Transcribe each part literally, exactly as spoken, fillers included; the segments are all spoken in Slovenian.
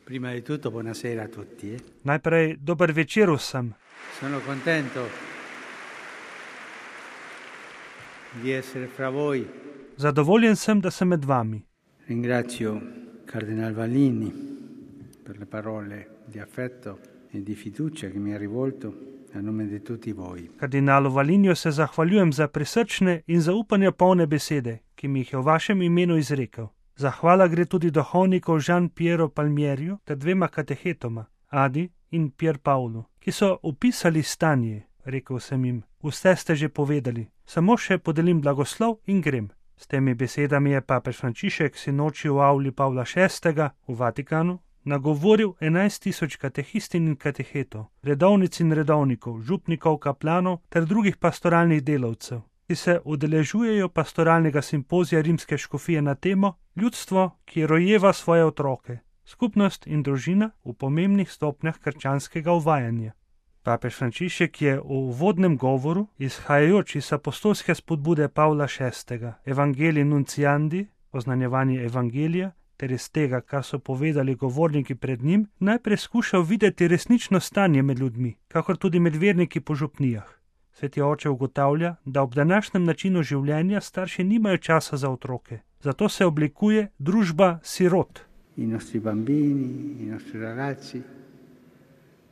Prima di tutto buonasera a tutti. Eh? Najprej dober večer vsem. Sono contento di essere fra voi. Zadovoljen sem, da sem med vami. Ringrazio Cardinal Vallini per le parole di affetto e di fiducia che mi ha rivolto a nome di tutti voi. Kardinalu Valiniju se zahvaljujem za prisrčne in zaupanja polne besede, ki mi jih je v vašem imenu izrekel. Zahvala gre tudi duhovniku Jean Piero Palmierju ter dvema katechetoma, Adi in Pier Paulu, ki so opisali stanje. Rekel sem jim, vse ste že povedali, samo še podelim blagoslov in grem. S temi besedami je papež Frančišek sinoči v avli Pavla šestega v Vatikanu nagovoril enajst tisoč katehistin in katehetov, redovnic in redovnikov, župnikov, kaplanov ter drugih pastoralnih delavcev, ki se udeležujejo pastoralnega simpozija rimske škofije na temo Ljudstvo, ki rojeva svoje otroke, skupnost in družina v pomembnih stopnjah krščanskega uvajanja. Papež Frančišek je v uvodnem govoru, izhajajoč iz apostolske spodbude Pavla šestega, Evangelii Nunciandi, oznanjevanje evangelija, ter iz tega, kar so povedali govorniki pred njim, najprej skušal videti resnično stanje med ljudmi, kakor tudi med verniki po župnijah. Sveti oče ugotavlja, da ob današnjem načinu življenja starši nimajo časa za otroke, zato se oblikuje družba sirot. I nostri bambini, i nostri ragazzi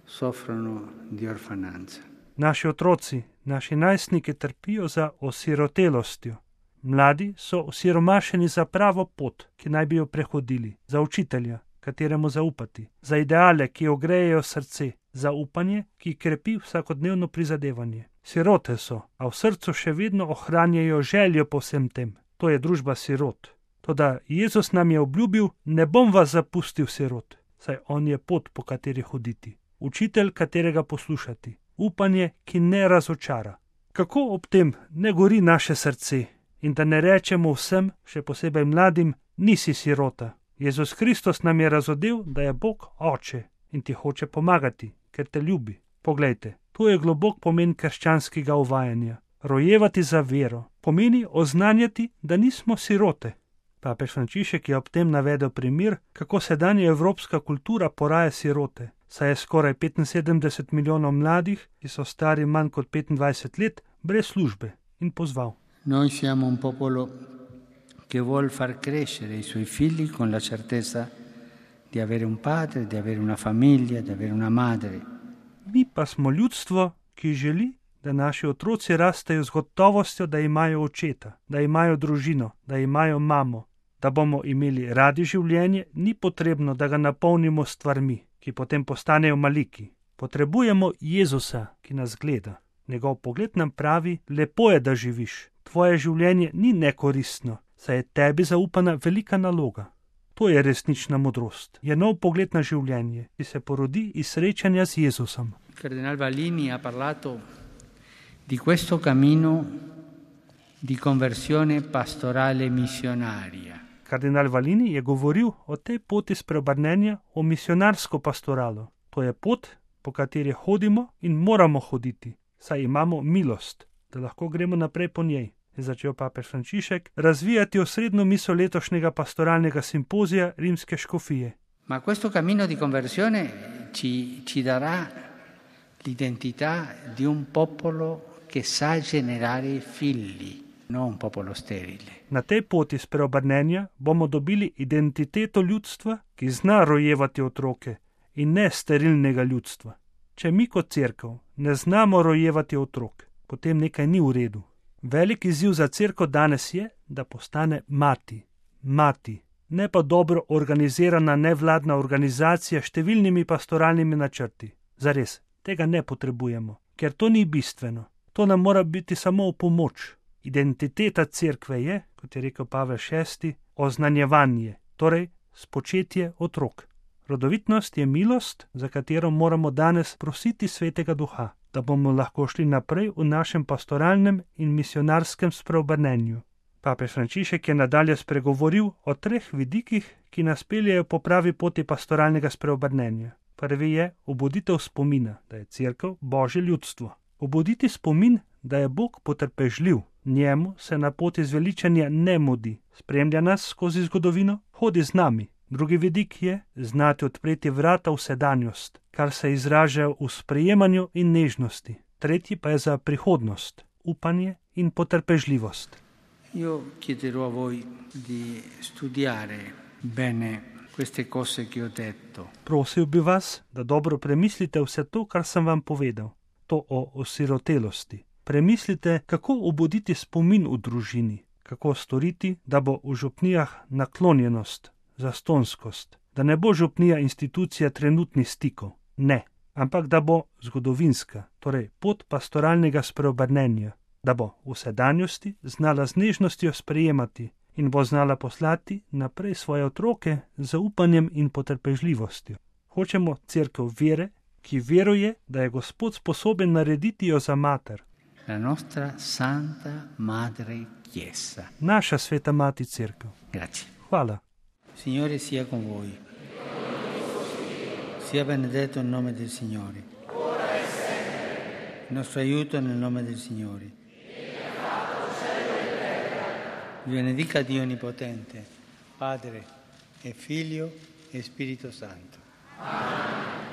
soffrono di orfananza. Naši otroci, naši najstniki trpijo za osirotelostjo. Mladi so osiromašeni za pravo pot, ki naj bi jo prehodili, za učitelja, kateremu zaupati, za ideale, ki ogrejejo srce, za upanje, ki krepi vsakodnevno prizadevanje. Sirote so, a v srcu še vedno ohranjajo željo po vsem tem. To je družba sirot. Toda Jezus nam je obljubil, ne bom vas zapustil sirot, saj on je pot, po kateri hoditi. Učitelj, katerega poslušati. Upanje, ki ne razočara. Kako ob tem ne gori naše srce in da ne rečemo vsem, še posebej mladim, nisi sirota. Jezus Kristus nam je razodel, da je Bog oče in ti hoče pomagati, ker te ljubi. Poglejte, to je globok pomen krščanskega uvajanja. Rojevati za vero pomeni oznanjati, da nismo sirote. Papež Frančišek je ob tem navedel primer, kako sedanja evropska kultura poraja sirote, saj je skoraj petinsedemdeset milijonov mladih, ki so stari manj kot petindvajset let, brez službe, in pozval. Noi siamo un popolo che vuol far crescere i suoi figli con la certezza di avere un padre, di avere una famiglia, di avere una madre. Mi pa smo ljudstvo, ki želi, da naši otroci rastejo z gotovostjo, da imajo očeta, da imajo družino, da imajo mamo. Da bomo imeli radi življenje, ni potrebno, da ga napolnimo s stvarmi, ki potem postanejo maliki. Potrebujemo Jezusa, ki nas gleda. Njegov pogled nam pravi, lepo je, da živiš. Tvoje življenje ni nekoristno, saj je tebi zaupana velika naloga. To je resnična modrost. Je nov pogled na življenje, ki se porodi iz srečanja z Jezusom. Cardinal Vallini ha parlato di questo cammino di conversione pastorale missionaria. Kardinal Vallini je govoril o tej poti spreobrnenja v misionarsko pastoralo. To je pot, po kateri hodimo in moramo hoditi, saj imamo milost, da lahko gremo naprej po njej. Je začel papež Frančišek razvijati osrednjo misel letošnjega pastoralnega simpozija rimske škofije. Ma questo cammino di conversione ci, ci darà l'identità di un popolo che sa generare figli. No, un popolo sterile. Na tej poti spreobrnenja bomo dobili identiteto ljudstva, ki zna rojevati otroke, in ne sterilnega ljudstva. Če mi kot cerkev ne znamo rojevati otrok, potem nekaj ni v redu. Velik izziv za cerkev danes je, da postane mati. Mati, ne pa dobro organizirana nevladna organizacija s številnimi pastoralnimi načrti. Zares, tega ne potrebujemo, ker to ni bistveno. To nam mora biti samo v pomoč. Identiteta cerkve je, kot je rekel Pavel šesti, oznanjevanje, torej spočetje otrok. Rodovitnost je milost, za katero moramo danes prositi Svetega Duha, da bomo lahko šli naprej v našem pastoralnem in misionarskem spreobrnenju. Papež Frančišek je nadalje spregovoril o treh vidikih, ki nas peljejo po pravi poti pastoralnega spreobrnenja. Prvi je obuditev spomina, da je cerkev Božje ljudstvo. Obuditi spomin, da je Bog potrpežljiv. Njemu se na poti zveličanja ne mudi, spremlja nas skozi zgodovino, hodi z nami, Drugi vidik je znati odpreti vrata v sedanjost, kar se izraža v sprejemanju in nežnosti. Tretji pa je za prihodnost, upanje in potrpežljivost. Io chiederò a voi di studiare bene queste cose che ho detto. Prosil bi vas, da dobro premislite vse to, kar sem vam povedal, to o osirotelosti. Premislite, kako obuditi spomin v družini, kako storiti, da bo v župnijah naklonjenost, zastonskost, da ne bo župnija institucija trenutnih stikov, ne, ampak da bo zgodovinska, torej pot pastoralnega spreobrnenja, da bo v sedanjosti znala z nežnostjo sprejemati in bo znala poslati naprej svoje otroke z zaupanjem in potrpežljivostjo. Hočemo cerkev vere, ki veruje, da je Gospod sposoben narediti jo za mater. La nostra Santa Madre Chiesa. Naša sveta mati cerkev. Grazie. Hvala. Signore sia con voi. Sia benedetto il nome del Signore. Il nostro aiuto nel nome del Signore. Vi benedica Dio Onnipotente, Padre e Figlio e Spirito Santo. Amen.